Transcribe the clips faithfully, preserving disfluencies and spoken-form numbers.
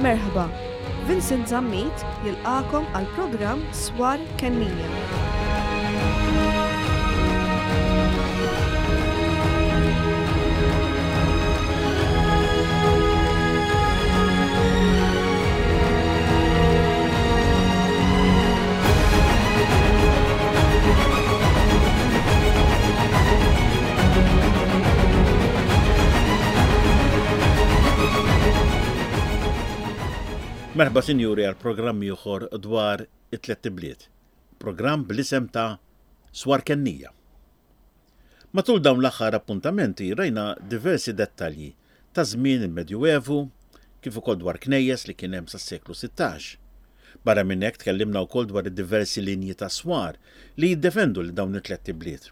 Merħba, Vincent Zammit jilqagħkom għal programm Swar Kennija. Merħba sinjuri għal programm ieħor dwar it-tliet ibliet. Programm bl-isem ta' Swar Kennija. Matul dawn l-aħħar appuntamenti rajna diversi dettalji ta' żmien il-Medjuevu, kif ukoll dwar knejjes li kien hemm sas-seklu sittax. Barra minn hekk tkellimna wkoll dwar id-diversi linji ta' swar li jiddefendu lil dawn it-tliet ibliet.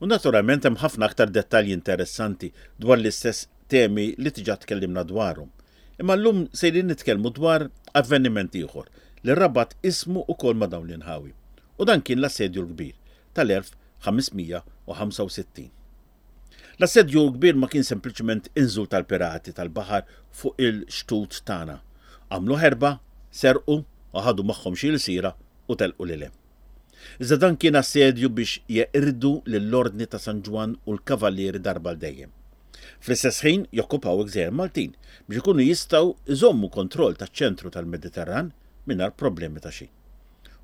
U naturalment hemm ħafna aktar dettalji interessanti dwar l-istess temi li diġà tkellimna dwarhom. Imma llum sejrin nitkellmu dwar avveniment ieħor li rabat ismu ukoll ma' dawn l-inħawi. U dan kien l-Assedju l-Kbir tal-elf ħames mija u ħamsa u sittin. L-Assedju l-Kbir ma kien sempliċement inżul tal-pirati tal-baħar fuq il-xtut tagħna. Għamlu ħerba, serqu u ħadu magħhom xi ilsira u telqu lil hemm. Iżda dan kien assedju biex jeqirdu lill-Ordni ta' San Ġwann u l-Kavallieri darba l dejjem. Fl-istess ħin jokkupaw il-gżejjer Maltin biex ikunu jistgħu iżommu kontroll taċ-ċentru tal-Mediterran mingħajr problemi ta' xejn.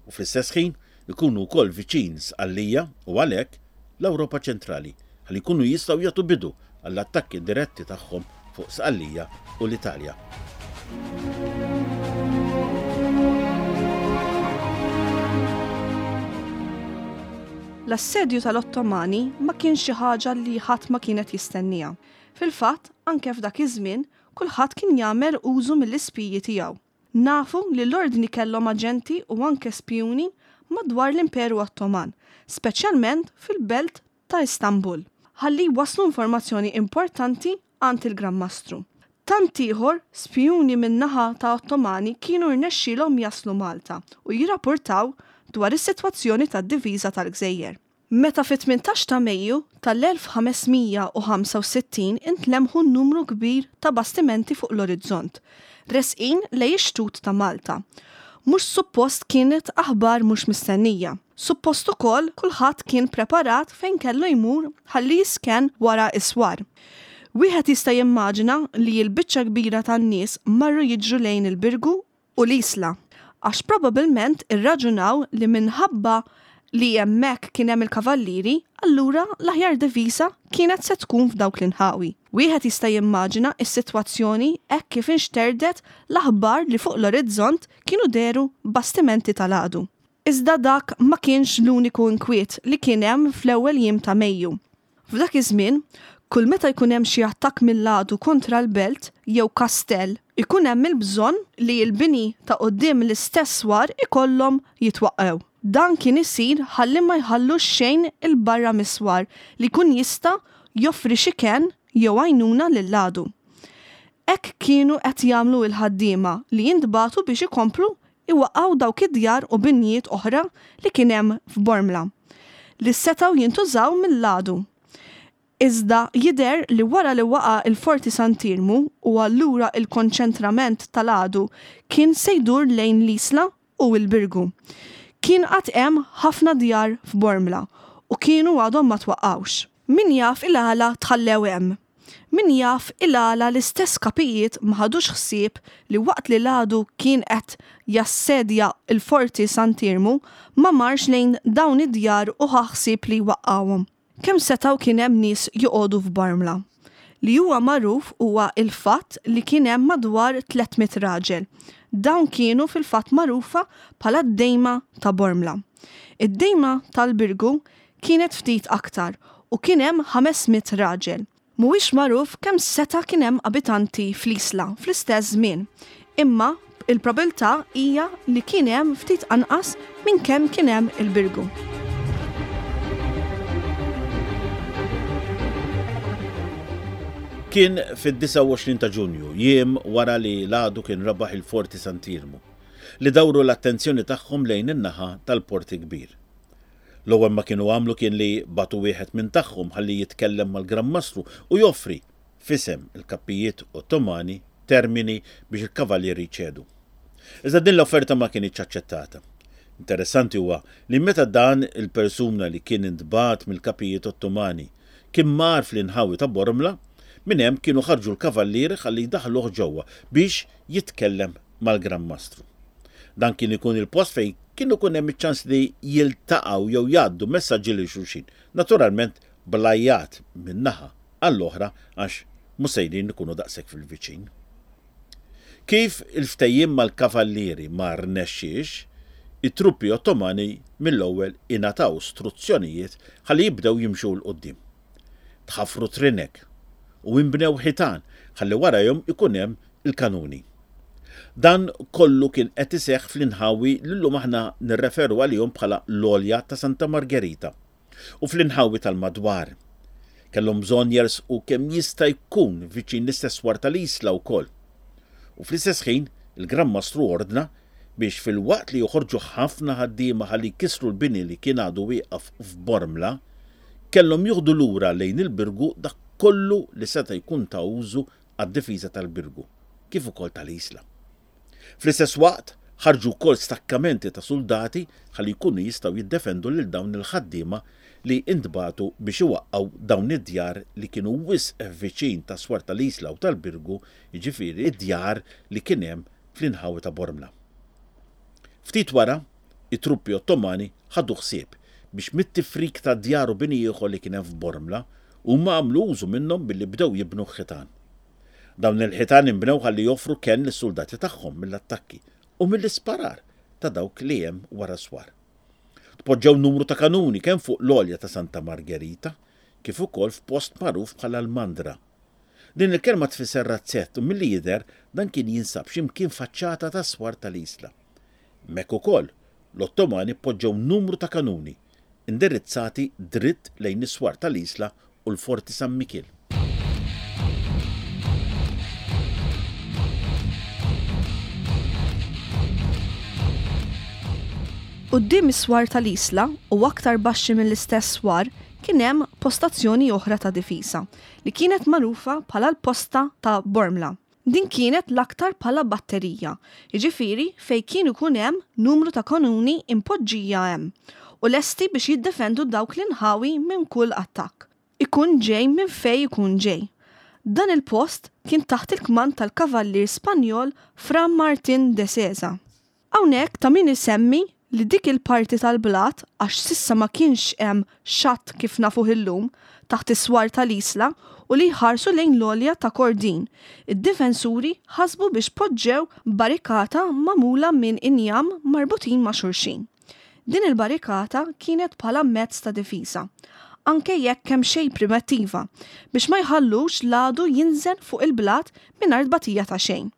U fl-istess ħin ikunu wkoll viċin Sqallija u għalhekk l-Ewropa ċentrali ħalli jkunu jistgħu jagħtu bidu għall-attakki diretti tagħhom fuq Sqallija u l-Italja. L-assedju tal-Ottomani ma kienx xi ħaġa li ħadd ma kienet jistennija. Fil-fatt, anke f'dak iż-żmien, kulħadd kien jagħmel użu mill-ispiji tiegħu. Nafu li l-ordni kellhom aġenti u anke spjuni madwar l-Imperu Ottoman, speċjalment fil-belt ta' Istanbul, ħalli waslu informazzjoni importanti għand il-Gran Mastru. Tant ieħor spjuni min-naħa ta' Ottomani kienu rnexxielhom jaslu Malta u jirrapportaw dwar is-sitwazzjoni tad-diviża tal-Gżejjer. Meta fit-tmintax ta' Mejju tal-elf ħames mija u ħamsa u sittin intlemħu numru kbir ta' bastimenti fuq l-orizzont, resqin lejn ix-xtut ta' Malta. Mhux suppost kienet aħbar mhux mistennija. Suppost ukoll kulħadd kien preparat fejn kellu jmur ħalli jisken wara iswar. Wieħed jista' jimmaġina li l-biċċa kbira tan-nies marru jiġru lejn il-Birgu u l-Isla, għax probabilment irraġunaw li minħabba li hemmhekk kien hemm il-kavallieri, allura l-aħjar diviża kienet se tkun f'dawk l-inħawi. Wieħed jista' jimmaġina s-sitwazzjoni hekk kif inxterdet l-aħbar li fuq l-orizzont kienu deru bastimenti tal-għadu. Iżda dak ma kienx l-uniku inkwiet li kien hemm fl-ewwel jiem ta' Mejju. F'dak iż-żmien, kull meta jkun hemm xi attakk mill-għadu kontra l-belt jew kastell, ikun hemm il-bżonn li l-bini ta' quddiem l-istess swar ikollhom jitwaqqew. Dan kien isir ħalli ma jħallux xejn il-barra miswar li jkun jista' joffri xi kenn jew għajnuna lill-għadu. Hekk kienu qed jagħmlu l-ħaddiema li jintbagħtu biex ikomplu iwaqgħu dawk id-djar u binjiet oħra li kien hemm f'Bormla li setgħu jintużaw mill-għadu. Iżda jidher li wara li waqa' il-Forti Sant'Iermu u allura il-konċentrament tal-għadu kien se jdur lejn l-Isla u l-Birgu. Kien qatt hemm ħafna djar f'Bormla u kienu għadhom ma twaqqgħux. Min jaf il-għala tħallew hemm. Min jaf il-għala l-istess kapijiet ma ħadux ħsieb li waqt li l-għadu kien qed jassedja il-Forti Sant'Iermu ma marx lejn dawn id-djar u ħa ħsieb li jwaqqgħuhom. Kemm setgħu kien hemm nies joqogħdu f'Bormla? Li huwa magħruf huwa il-fatt li kien hemm madwar tliet mitt raġel. Dawn kienu fil-fatt magħrufa bħala d-dejma ta' Bormla. Id-dejma tal-Birgu kienet ftit aktar u kien hemm ħames mitt raġel. Mhuwiex magħruf kemm seta' kien hemm abitanti fl-Isla fl-istess żmien, imma il-probabilità hija li kien hemm ftit anqas minn kemm kien hemm il-Birgu. Kien fid-disgħa u għoxrin ta' Ġunju, jiem wara li l-għadu kien rebaħ il-Forti Sant'Iermu, li dawru l-attenzjoni tagħhom lejn in-naħa tal-Porti Kbir. L-ewwel ma kienu għamlu kien li batu wieħed minn tagħhom ħalli jitkellem mal-Gran Mastru u joffri fisem il-kappijiet Ottomani termini biex il-kavallieri jċedu. Iżda din l-offerta ma kinitx aċċettata. Interessanti huwa li meta dan il-persuna li kien intbagħat mill-kapijiet Ottomani kien mar fl-inħawi ta' Bormla, minn hemm kienu ħarġu l-kavallieri ħalli jdaħħluh ġewwa biex jitkellem mal-Gran Mastru. Dan kien ikun il-post fejn kien ikun hemm iċ-ċans li jiltaqgħu jew jgħaddu messaġġi lil xulxin. Naturalment bl-għajjat minn naħa għall-oħra għax mhux sejrin ikunu daqshekk fil-viċin. Kif il-ftehim mal-kavallieri ma rnexxiex, it-truppi Ottomani mill-ewwel ingħataw struzzjonijiet ħalli jibdew jimxu 'l quddiem. Tħaffru trinek u inbnew ħitan ħalli warajhom ikun hemm il-kanuni. Dan kollu kien qed iseħħ fl-inħawi li llum aħna nirreferu għalihom bħala l-Għolja ta' Santa Margherita u fl-inħawi tal-madwar. Kellhom bżonn jersqu kemm jista' jkun viċin l-istess swar tal-Isla wkoll. U fl-istess ħin il-Gran Mastru ordna biex filwaqt li joħorġu ħafna ħaddiema ħalli jkissru l-bini li kien għadu wieqaf f'Bormla, kellhom jieħdu lura lejn il-Birgu dak kollu li seta' jkun ta' użu għad-difiża tal-Birgu, kif ukoll tal-Isla. Fl-istess waqt ħarġu wkoll stakkamenti ta' suldati ħalli jkunu jistgħu jiddefendu lil dawn il-ħaddiema li intbagħtu biex iwaqqgħu dawn id-djar li kienu wisq viċin tas-swar tal-Isla u tal-Birgu, jiġifieri id-djar li kien hemm fl-inħawi ta' Bormla. Ftit wara, it-truppi Ottomani ħadu ħsieb biex mit-tifrik ta' djar u bini ieħor li kien hemm f'Bormla huma għamlu użu minnhom billi bdew jibnu ħitan. Dawn il-ħitan inbnew ħalli joffru kenn lis-suldati tagħhom mill-attakki u mill-isparar ta' dawk li hemm wara swar. Tpoġġew numru ta' kanuni kemm fuq l-għolja ta' Santa Margherita kif ukoll f'post magħruf bħala l-Mandra. Din il-kelma tfisser razzett u milli jidher dan kien jinsab x'imkien faċċata tas-swar tal-Isla. Hemmhekk ukoll l-Ottomani poġġew numru ta' kanuni indirizzati dritt lejn is-swar tal-Isla u l-Forti San Mikiel. Quddiem is-swar tal-Isla u aktar baxxi mill-istess swar kien hemm postazzjoni oħra ta' difiża li kienet magħrufa bħala l-posta ta' Bormla. Din kienet l-aktar bħala batterija, jiġifieri fejn kien ikun hemm numru ta' kanuni impoġġija hemm u lesti biex jiddefendu dawk l-inħawi minn kull attakk. Ikun ġej minn fejn ikun ġej. Dan il-post kien taħt il-kmand tal-kavallier Spanjol Fra Martin de Sesa. Hawnhekk ta' min isemmi li dik il-parti tal-blat, għax s'issa ma kienx hemm xatt kif nafuh illum, taħt is-swar tal-Isla u li jħarsu lejn l-għolja ta' Kordin, id-difensuri ħasbu biex poġġew barrikata magħmula minn injam marbutin ma' xulxin. Din il-barrikata kienet bħala mezz ta' difiża, anke jekk kemm xejn primittiva, biex ma jħallux l-għadu jinżel fuq il-blat mingħajr tbatija ta' xejn.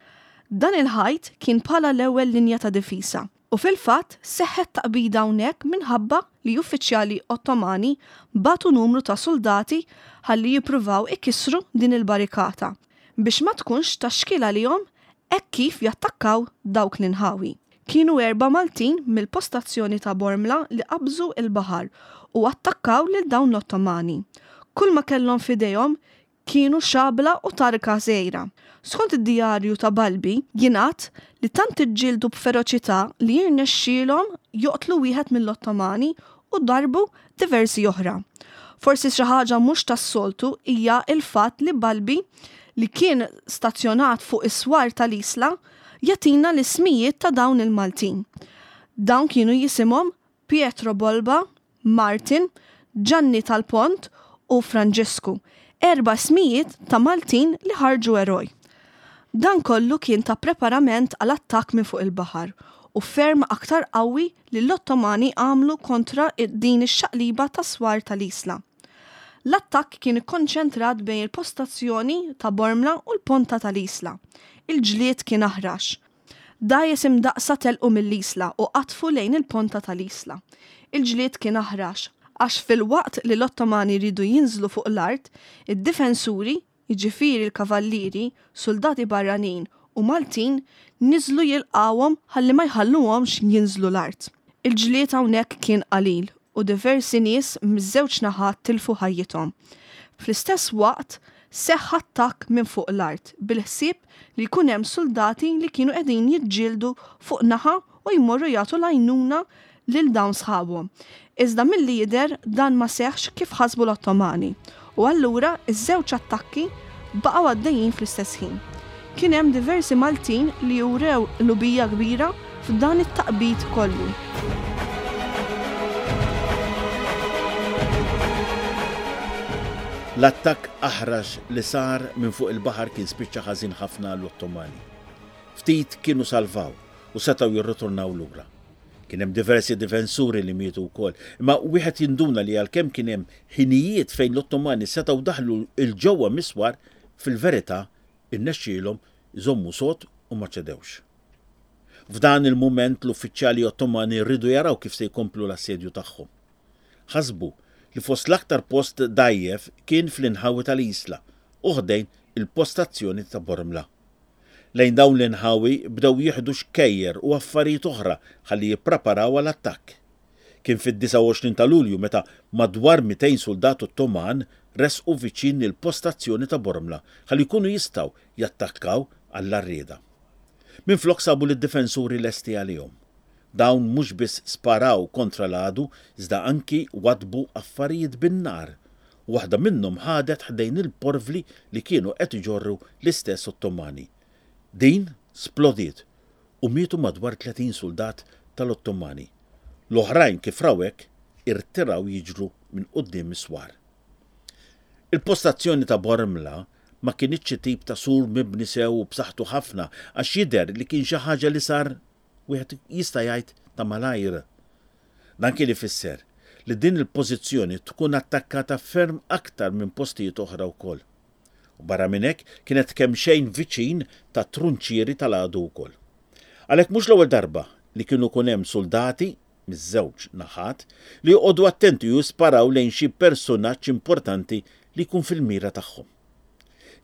Dan il-ħajt kien bħala l-ewwel linja ta' difiża. U fil-fatt seħħet taqbida hawnhekk minħabba li uffiċjali Ottomani bagħtu numru ta' soldati ħalli jippruvaw ikissru din il-barrikata biex ma tkunx ta' xkiel għalihom hekk kif jattakkaw dawk l-inħawi. Kienu erba' Maltin mill-postazzjoni ta' Bormla li qabżu il-baħar u attakkaw lil dawn l-Ottomani. Kull ma kellhom f'idejhom kienu xabla u tarka żgħira. Skont id-djarju ta' Balbi, jingħad li tant iġġieldu b'feroċità li jirnexxielhom joqtlu wieħed mill-Ottomani u darbu diversi oħra. Forsi xi ħaġa mhux tas-soltu hija l-fatt li Balbi, li kien stazzjonat fuq is-swar tal-Isla, jagħtina l-ismijiet ta' dawn il-Maltin. Dawn kienu jisimhom Pietro Bolba, Martin, Gianni tal-Pont u Franġisku, erba' ismijiet ta' Maltin li ħarġu eroj. Dan kollu kien ta' preparament għal attakk minn fuq il-baħar u ferm aktar qawwi li l-Ottomani għamlu kontra din ix-xaqliba ta' swar tal-Isla. L-attakk kien ikkonċentrat bejn il-postazzjoni ta' Bormla u l-ponta tal-Isla. Il-ġlied kien aħrax. Dgħajjes imdaqsa telqu mill-Isla u qatfu lejn il-ponta tal-Isla. Il-ġlied kien aħrax għax fil-waqt li l-Ottomani riedu jinżlu fuq l-art, id-difensuri, jiġifieri l-kavallieri, soldati barranin u Maltin, niżlu jilqawhom ħalli ma jħalluhomx jinżlu l-art. Il-ġlied hawnhekk kien qalil u diversi nies miż-żewġ naħat tilfu ħajjithom. Fl-istess waqt seħħ attakk minn fuq l-art bil-ħsieb li jkun hemm suldati li kienu qegħdin jiġġieldu fuq naħa u jmorru jagħtu l-għajnuna lil dawn sħabhom. Iżda milli jidher dan ma seħħx kif ħasbu l-Ottomani u allura iż-żewġ attakki baqgħu għaddejjin fl-istess ħin. Kien hemm diversi Maltin li urew qlubija kbira f'dan it-taqbid kollu. L-attakk aħrax li sar minn fuq il-baħar kien spiċċa ħażin ħafna għall-Ottomani. Ftit kienu salvaw u setgħu jirritornaw lura. Kien hemm diversi difensuri li mietu wkoll, imma wieħed jinduna li għalkemm kien hemm ħinijiet fejn l-Ottomani setgħu daħlu 'l ġewwa mis-swar, fil-verità irnexxielhom iżommu sod u ma ċedewx. F'dan il-mument l-uffiċjali Ottomani riedu jaraw kif se jkomplu l-assedju tagħhom. Ħasbu li fost l-aktar post dgħajjef kien fl-inħawi tal-Isla u ħdejn il-postazzjoni ta' Bormla. Lejn dawn l-inħawi bdew jieħdu xkejjer u affarijiet oħra ħalli jippreparaw għal attakk. Kien fid-disgħa u għoxrin ta' Lulju meta madwar mitejn suldat Ottoman resqu viċin il-postazzjoni ta' Bormla ħalli jkunu jistgħu jattakkaw għall-għarrieda. Minflok sabu lid-difensuri lesti għalihom. Dawn mhux biss sparaw kontra l-għadu iżda anki waddbu affarijiet bin-nar. Waħda minnhom ħadet ħdejn il-porvli li kienu qed iġorru l-istess Ottomani. Din splodiet u mietu madwar tletin suldat tal-Ottomani. L-oħrajn kif raw hekk irtiraw jiġru minn quddiem is-swar. Il-postazzjoni ta' Bormla ma kinitx xi tip ta' sur mibni sew u b'saħħtu ħafna għax jidher li kien xi ħaġa li sar wieħed jista' jgħid ta' malajr. Dan kien ifisser li din il-pożizzjoni tkun attakkata ferm aktar minn postijiet oħra wkoll. U barra minn hekk kienet kemm xejn viċin ta' trunċieri tal-għadu wkoll. Għalhekk mhux l-ewwel darba li kienu kun hemm soldati miż-żewġ naħat li joqogħdu attenti u jisparaw lejn xi personaġġ importanti li jkun fil-mira tagħhom.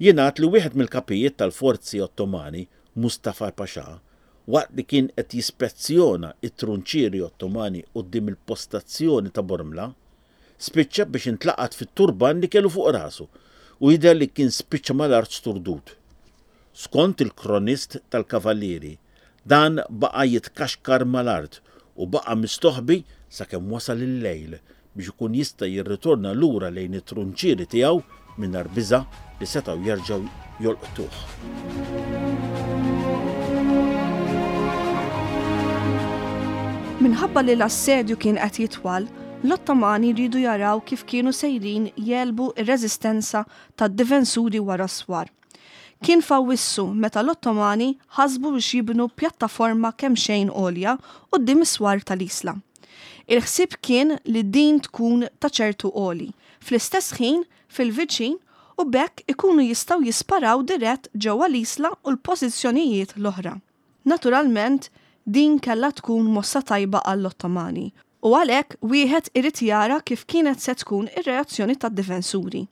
Jingħad li wieħed mill-kapijiet tal-forzi Ottomani, Mustafa Pasha, waqt li kien qed jispezzjona it-trunċieri Ottomani quddiem il-postazzjoni ta' Bormla, spiċċa biex intlaqat fit-turban li kellu fuq rasu u jidher li kien spiċċa mal-art sturdut. Skont il-kronist tal-Kavallieri, dan baqa' jitkaxkar mal-art u baqa' mistoħbi sakemm wasal il-lejl biex ikun jista' jirritorna lura lejn it-trunċieri tiegħu mingħajr biża' li setgħu jerġgħu jolqtuh. Minħabba li l-assedju kien qed jitwal, l-Ottomani riedu jaraw kif kienu sejrin jegħlbu r-reżistenza tad-difensuri wara s-swar. Kien f'Awwissu meta l-Ottomani ħasbu biex jibnu pjattaforma kemm xejn għolja quddiem is-swar tal-Isla. Il-ħsieb kien li din tkun ta' ċertu għoli, fl-istess ħin fil-viċin u b'hekk ikunu jistgħu jisparaw dirett ġewwa l-Isla u l-pożizzjonijiet l-oħra. Naturalment, din kellha tkun mossa tajba għall-Ottomani u għalhekk wieħed irid jara kif kienet se tkun ir-reazzjoni tad-difensuri.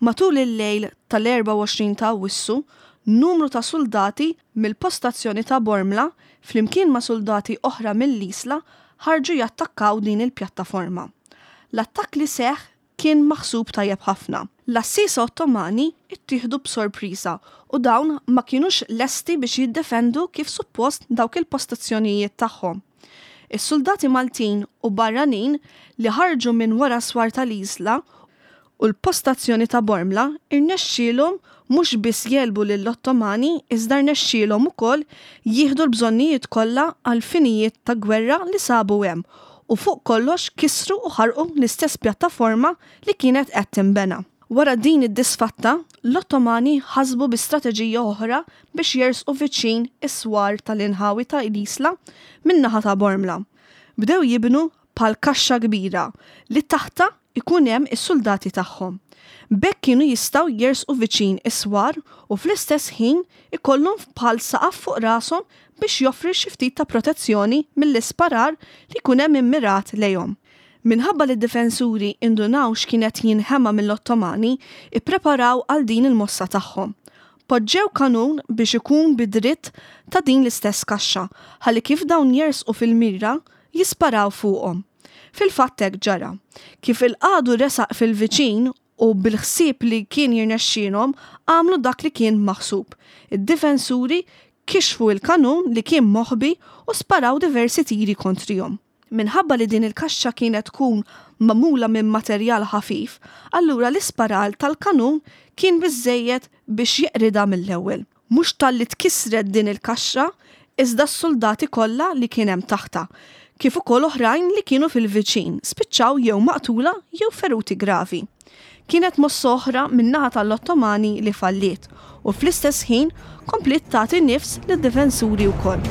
Matul il-lejl tal-erbgħa u għoxrin ta' Awwissu, numru ta' soldati mill-postazzjoni ta' Bormla flimkien ma' soldati oħra mill-Isla ħarġu jattakkaw din il-pjattaforma. L-attakk li seħħ kien maħsub tajjeb ħafna. L-assisa Ottomani ittieħdu b'sorpriża u dawn ma kienux lesti biex jiddefendu kif suppost dawk il-postazzjonijiet tagħhom. Is-soldati Maltin u barranin li ħarġu minn wara swar tal-Isla u l-postazzjoni ta' Bormla irnexxielhom mhux biss jegħlbu lill-Ottomani iżda rnexxielhom ukoll jieħdu l-bżonnijiet kollha għal finijiet ta' gwerra li sabu hemm u fuq kollox kisru u ħarqu l-istess pjattaforma li kienet qed tinbena. Wara din id-disfatta, l-Ottomani ħasbu bi strateġija oħra biex jersqu viċin is-swar tal-inħawi ta' l-Isla min-naħa ta' Bormla. Bdew jibnu bħal kaxxa kbira li taħta ikun hemm is-soldati tagħhom. B'hekk kienu jistgħu jersqu viċin is-swar u fl-istess ħin ikollhom bħal saqaf fuq rashom biex joffri xi ftit ta' protezzjoni mill-isparar li jkun hemm immirat lejhom. Minħabba li d-difensuri indunaw x'kienet jinħema mill-Ottomani, ippreparaw għal din il-mossa tagħhom. Poġġew kanun biex ikun bidritt ta' din l-istess kaxxa, ħalli kif dawn jersqu fil-mira jisparaw fuqhom. Fil-fatt hekk ġara. Kif il-qadu resaq fil-viċin U bil-ħsieb li kien jirnexxielhom għamlu dak li kien maħsub. Id-difensuri kixfu il-kanun li kien moħbi u sparaw diversi tiri kontrihom. Minħabba li din il-kaxxa kienet tkun magħmula minn materjal ħafif, allura l-isparal tal-kanun kien biżżejjed biex jeqridha mill-ewwel. Mhux talli tkissret din il-kaxxa, iżda s-soldati kollha li kien hemm taħtha, kif ukoll oħrajn li kienu fil-viċin, spiċċaw jew maqtula jew feruti gravi. Kienet mossa oħra min-naħa tal-Ottomani li falliet u fl-istess ħin kompliet tagħti nifs lid-difensuri wkoll.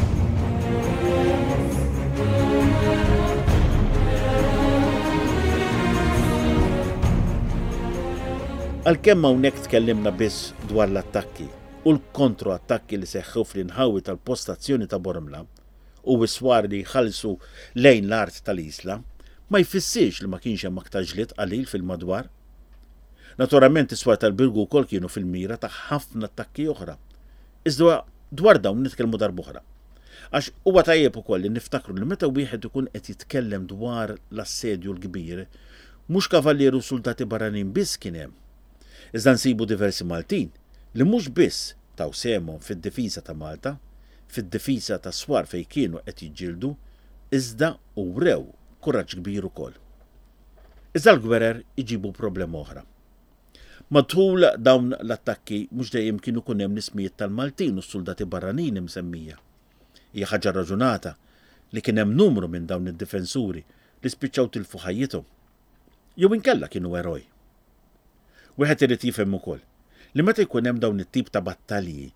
Għalkemm hawnhekk tkellimna biss dwar l-attakki u l-kontroattakki li seħħew fl-inħawi tal-postazzjoni ta' Bormla u s-swar li jħallsu lejn l-art tal-Isla, ma jfissirx li ma kienx hemm aktar ġlied qalil fil-madwar. Naturalment is-swar tal-Birgu wkoll kienu fil-mira ta' ħafna attakki oħra. Iżda dwar dawn nitkellmu darb'oħra. Għax huwa tajjeb ukoll li niftakru li meta wieħed ikun qed jitkellem dwar l-assedju l-kbir, mhux kavallieri u soldati barranin biss kien hemm. Iżda nsibu diversi Maltin li mhux biss taw sehemhom fid-difiża ta' Malta, fid-difiża ta' swar fejn kienu qed jiġġieldu, iżda wrew kuraġġ kbir ukoll. Iżda l-gwerer iġibu problema oħra. Matul dawn l-attakki mhux dejjem kienu jkun hemm l-ismijiet tal-Maltin u s-soldati barranin imsemmija. Hija ħaġa raġunata li kien hemm numru minn dawn id-difensuri li spiċċaw tilfu ħajjithom. Jew inkella kienu eroj. Wieħed irid jifhem ukoll li meta jkun hemm dawn it-tip ta' battalji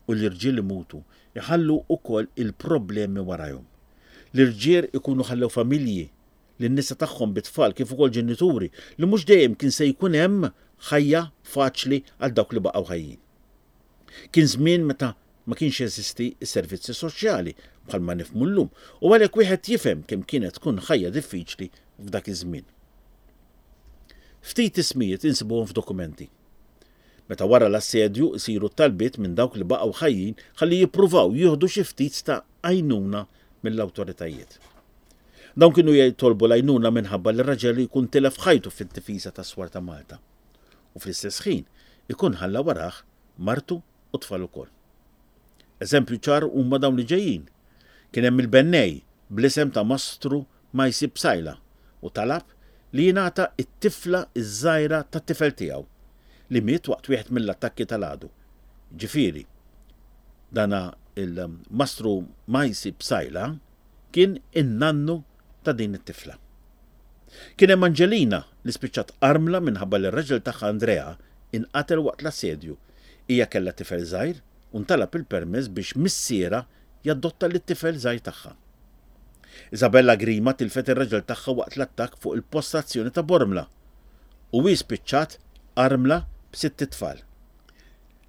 u l-irġiel imutu, iħallu wkoll il-problemi warajhom. L-irġiel ikunu ħallew familji, lin-nisa tagħhom bit-tfal kif ukoll ġenituri li mhux dejjem kien se jkun hemm ħajja faċli għal dawk li baqgħu ħajjin. Kien żmien meta ma kienx jeżisti s-servizzi soċjali bħalma nifhmu llum u għalhekk wieħed jifhem kemm kienet tkun ħajja diffiċli f'dak iż-żmien. Ftit ismijiet insibuhom f'dokumenti. Meta wara l-assedju isiru talbiet minn dawk li baqgħu ħajjin ħalli jippruvaw jieħdu xi ftit ta' għajnuna mill-awtoritajiet. Dawn kienu jitolbu l-għajnuna minħabba li r-raġel jkun tilef ħajtu fid-difiża tas-swar ta' Malta. U fl-istess ħin ikun ħalla warah martu u tfal ukoll. Eżempju ċar huma dawn li ġejjin. Kien hemm il-bennej bl-isem ta' Mastru Majsi Psaila u talab li jingħata t-tifla ż-żgħira tat-tifel tiegħu li miet waqt wieħed mill-attakki tal-għadu. Ġifieri, dana il-Mastru Majsi Psaila kien in-nannu ta' din it-tifla. Kien hemm Angelina li spiċċat armla minħabba li r-raġel tagħha Andrea inqatel waqt l-assedju. Hija kellha tifel żgħir u ntalab il-permess biex missiera jadotta lit-tifel żgħir tagħha. Isabella Grima tilfet ir-raġel tagħha waqt l-attakk fuq il-postazzjoni ta' Bormla u hi spiċċat armla b'sitt itfal.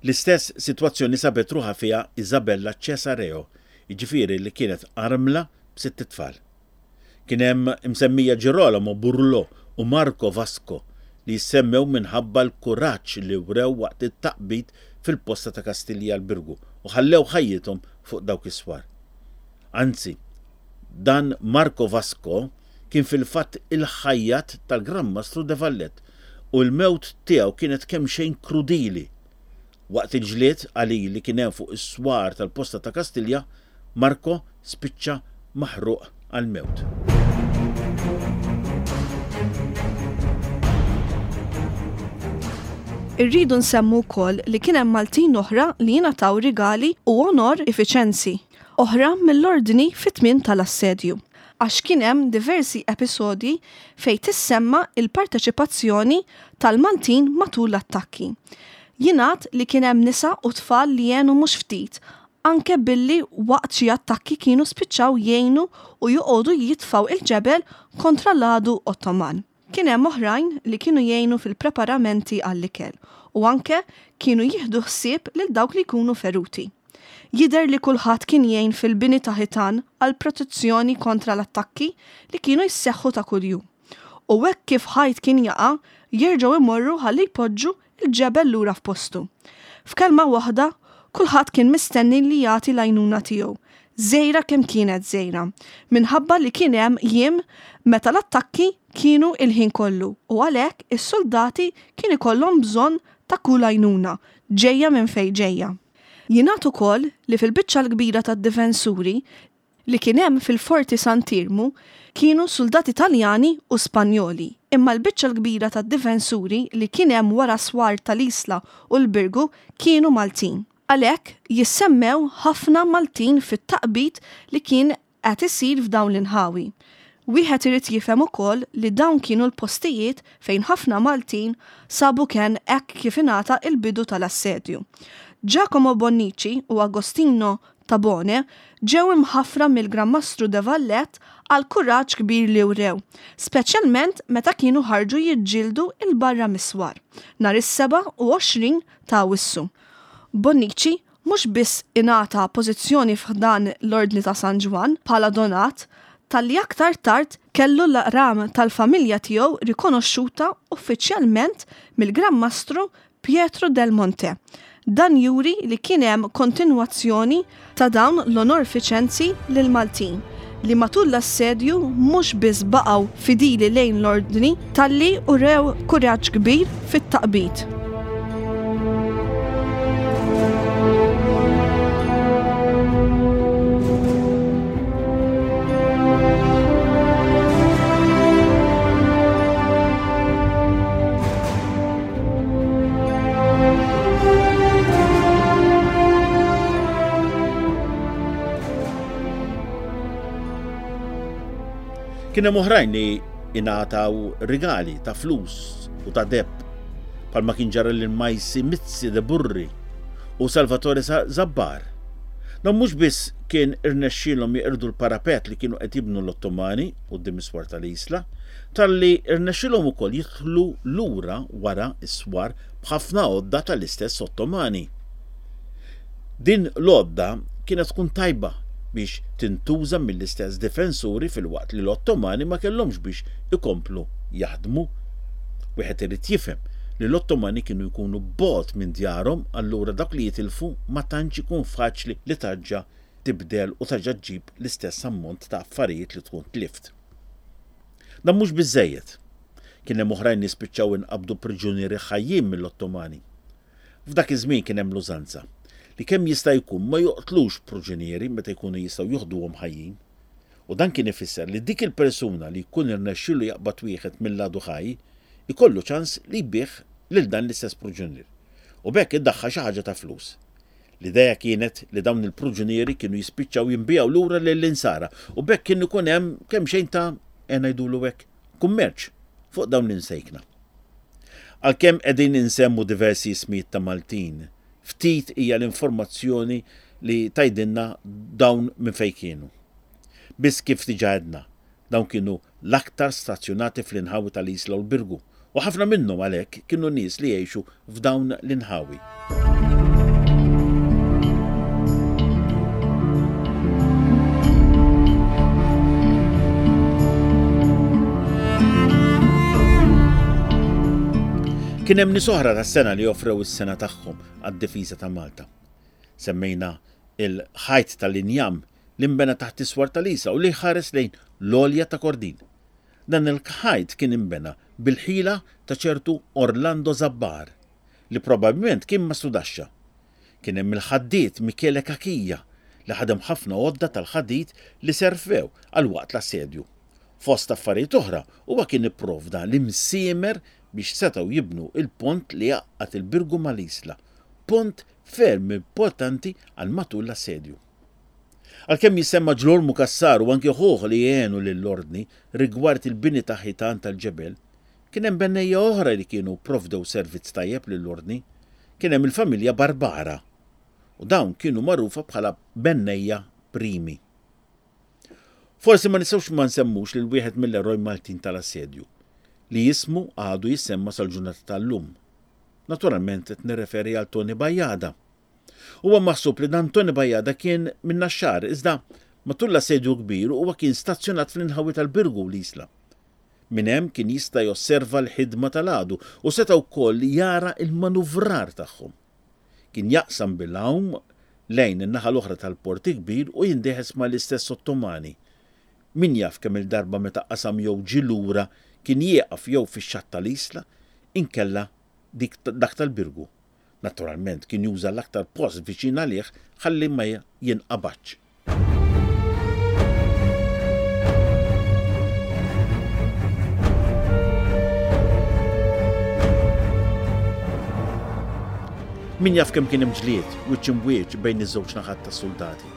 L-istess sitwazzjoni sabet ruħha fiha Isabella Cesareo, jiġifieri li kienet armla b'sitt itfal. Kien hemm imsemmija Girolamo Burlo u Marco Vasco li jissemmew minħabba l-kuraġġ li wrew waqt it-taqbid fil-posta ta' Kastilja l-Birgu u ħallew ħajjithom fuq dawk is-swar. Anzi, dan Marco Vasco kien fil-fatt il-ħajjat tal-Gran Mastru de Valette u l-mewt tiegħu kienet kemm xejn krudili. Waqt il-ġlied qalil li kien hemm fuq is-swar tal-posta ta' Kastilja, Marco spiċċa maħruq għall-mewt. Irridu nsemmu wkoll li kien hemm Maltin oħra li jingħataw rigali u onorifiċenzi oħra mill-ordni fit-tmien tal-assedju. Għax kien hemm diversi episodji fejn tissemma il-parteċipazzjoni tal-Maltin matul l-attakki. Jingħad li kien hemm nisa u tfal li għenu mhux ftit, anke billi waqt xi attakki kienu spiċċaw jgħinu u joqogħdu jitfgħu il-ġebel kontra l-għadu Ottoman. Kien hemm oħrajn li kienu jgħinu fil-preparamenti għall-ikel u anke kienu jieħdu ħsieb lil dawk li jkunu feruti. Jidher li kulħadd kien jgħin fil-bini ta' ħitan għal protezzjoni kontra l-attakki li kienu jisseħħu ta' kuljum. U hekk kif ħajt kien jaqa', jerġgħu imorru ħalli jpoġġu il-ġebel lura f'postu. F'kelma waħda, kulħadd kien mistenni li jagħti l-għajnuna tiegħu, żgħira kemm kienet żgħira, minħabba li kien hemm jiem meta l-attakki kienu il-ħin kollu u għalhekk is-soldati kien ikollhom bżonn ta' kull għajnuna ġejja minn fejn ġejja. Jingħad ukoll li fil-biċċa l-kbira tad-difensuri li kien hemm fil-Forti Sant'Iermu kienu suldati Taljani u Spanjoli, imma l-biċċa l-kbira tad-difensuri li kien hemm wara swar tal-Isla u l-Birgu kienu Maltin. Għalhekk jissemmew ħafna Maltin fit-taqbid li kien qed isir f'dawn l-inħawi. Wieħed irid jifhem ukoll li dawn kienu l-postijiet fejn ħafna Maltin sabu kenn hekk kif ingħata il-bidu tal-assedju. Giacomo Bonnici u Agostino Tabone ġew imħaffra mill-Gran Mastru de Valette għal kuraġġ kbir li wrew, speċjalment meta kienu ħarġu jiġġieldu 'l barra mis-swar nhar is-sebgħa u għoxrin ta' Awwissu. Bonnici mhux biss ingħata pożizzjoni f'ħdan l-Ordni ta' San Ġwann bħala donat, talli aktar tard kellu l-ram tal-familja tiegħu rikonoxxuta uffiċjalment mill-Gran Mastru Pietro del Monte. Dan juri li kien hemm kontinwazzjoni ta' dawn l-onorfiċenzi lill-Maltin li matul l-assedju mhux biss baqgħu fidili lejn l-ordni talli urew kuraġġ kbir fit-taqbid. Kien hemm oħrajn li ingħataw rigali ta' flus u ta' deheb, bħalma kien ġara lil Majsi Mizzi de Burri u Salvatore Zabbar. Dan mhux biss kien irnexxielhom jeqirdu l-parapet li kienu qed jibnu l-Ottomani quddiem is-swar tal-Isla, talli irnexxielhom ukoll jidħlu lura wara s-swar b'ħafna għodda tal-istess Ottomani. Din l-għodda kienet tkun tajba biex tintuża mill-istess difensuri filwaqt li l-Ottomani ma kellhomx biex ikomplu jaħdmu. Wieħed irid jifhem li l-Ottomani kienu jkunu bogħod minn djarhom, allura dak li jitilfu ma tantx ikun faċli li tarġa' tibdel u tarġa' ġġib l-istess ammont ta' affarijiet li tkun tlift. Dan mhux biżżejjed. Kien hemm oħrajn li spiċċaw inqabdu priġunieri ħajjin mill-Ottomani. F'dak iż-żmien kien hemm l-użanza li kemm jista' jkun ma joqtlux priġunieri meta jkunu jistgħu joħduhom ħajjin. U dan kien ifisser li dik il-persuna li jkun irnexxielu jaqbad wieħed mill-għadu ħaj ikollu ċans li jbigħ lil dan l-istess priġunier. U b'hekk iddaħħal xi ħaġa ta' flus. L-idea kienet li dawn il-priġunieri kienu jispiċċaw jinbiegħu lura lill-insara u b'hekk kien ikun hemm kemm xejn ta' ngħidulu hekk kummerċ fuq dawn l-insejkna. Għalkemm qegħdin insemmu diversi ismijiet ta' Maltin, ftit hija l-informazzjoni li tgħidilna dawn minn fejn kienu. Biss kif diġà għedna, dawn kienu l-aktar stazzjonati fl-inħawi tal-Isla u l-Birgu, u ħafna minnhom għalhekk kienu nies li jgħixu f'dawn l-inħawi. Kien hemm nies oħra tas-sena li offrew is-sena tagħhom għad-difiża ta' Malta. Semmejna il-ħajt tal-injam li nbena taħt is-swar tal-Isla u li ħares lejn l-għolja ta' Kordin. Dan il-ħajt kien inbena bil-ħila ta' ċertu Orlando Zabbar, li probabbilment kien mastrudaxxa. Kien hemm il-ħaddied Michele Cachia li ħadem ħafna għodda tal-ħadid li servew għal waqt l-assedju. Fost affarijiet oħra, huwa kien ipprovda l-imsiemer biex setgħu jibnu il-pont li jgħaqqad il-Birgu mal-Isla, pont ferm importanti għal matul l-assedju. Għalkemm jisemma Ġlormu Cassar u anke ħuh li għenu lill-ordni rigward il-bini ta' ħitan tal-ġebel, kien hemm bennejja oħra li kienu provdew servizz tajjeb lill-ordni. Kien hemm il-familja Barbara u dawn kienu magħrufa bħala bennejja primi. Forsi ma nistgħux ma nsemmux lil wieħed mill-eroj Maltin tal-assedju, li jismu għadu jissemma sal-ġurnata tal-lum. Naturalment qed nirreferi għal Tony Bajada. Huwa maħsub li dan Tony Bajada kien minn Naxxar, iżda matul l-assedju kbir huwa kien stazzjonat fl-inħawi tal-Birgu l-Isla. Minn hemm kien jista' josserva l-ħidma tal-għadu u seta' wkoll jara l-manuvrar tagħhom. Kien jaqsam bil-għawm lejn in-naħa l-oħra tal-Port il-Kbir u jindeħes mal-istess Ottomani. Min jaf kemm il-darba meta qasam jew ġie lura kien jieqaf jew fix-xatt tal-Isla inkella dik dak tal-Birgu. Naturalment kien juża l-aktar post viċin għalih ħalli ma jinqabadx. Min jaf kemm kien hemm ġlied wiċċ imbwiċċ bejn iż-żewġ naħat tas-suldati.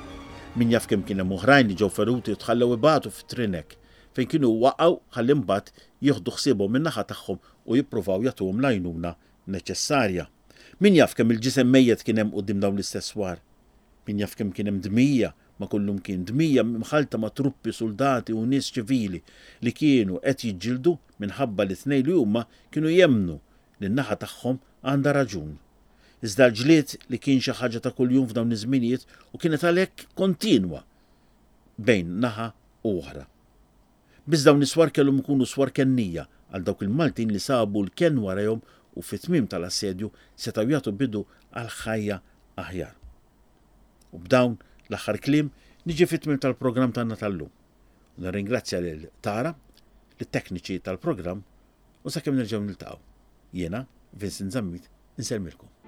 Min jaf kemm kien hemm oħrajn li ġew feruti u tħallew ibatu fit-trinek fejn kienu waqgħu ħalli mbagħad jieħdu ħsiebhom min-naħa tagħhom u jippruvaw jagħtuhom l-għajnuna neċessarja. Min jaf kemm il-ġisem mejjet kien hemm quddiem dawn l-istess swar. Min jaf kemm kien hemm dmija ma' kullimkien, dmija mħallta ma' truppi, suldati u nies ċivili li kienu qed jiġġieldu minħabba li tnejn li huma kienu jemmnu li n-naħa tagħhom għandha raġun. Iżda l-ġlied li kien xi ħaġa ta' kuljum f'dawn iż-żminijiet u kienet għalhekk kontinwa bejn naħa u oħra. Biss dawn is-swar kellhom ikunu swar kennija għal dawk il-Maltin li sabu l-kenn warajhom u fit-tmiem tal-assedju setgħu jagħtu bidu għal ħajja aħjar. U b'dawn l-aħħar kliem niġi fit-tmiem tal-programm tagħna tal-lum. Nirringrazzja lil Tara, lit-tekniċi tal-programm u sakemm nerġgħu niltaqgħu. Jiena, Vincent Zammit, insellmilkom.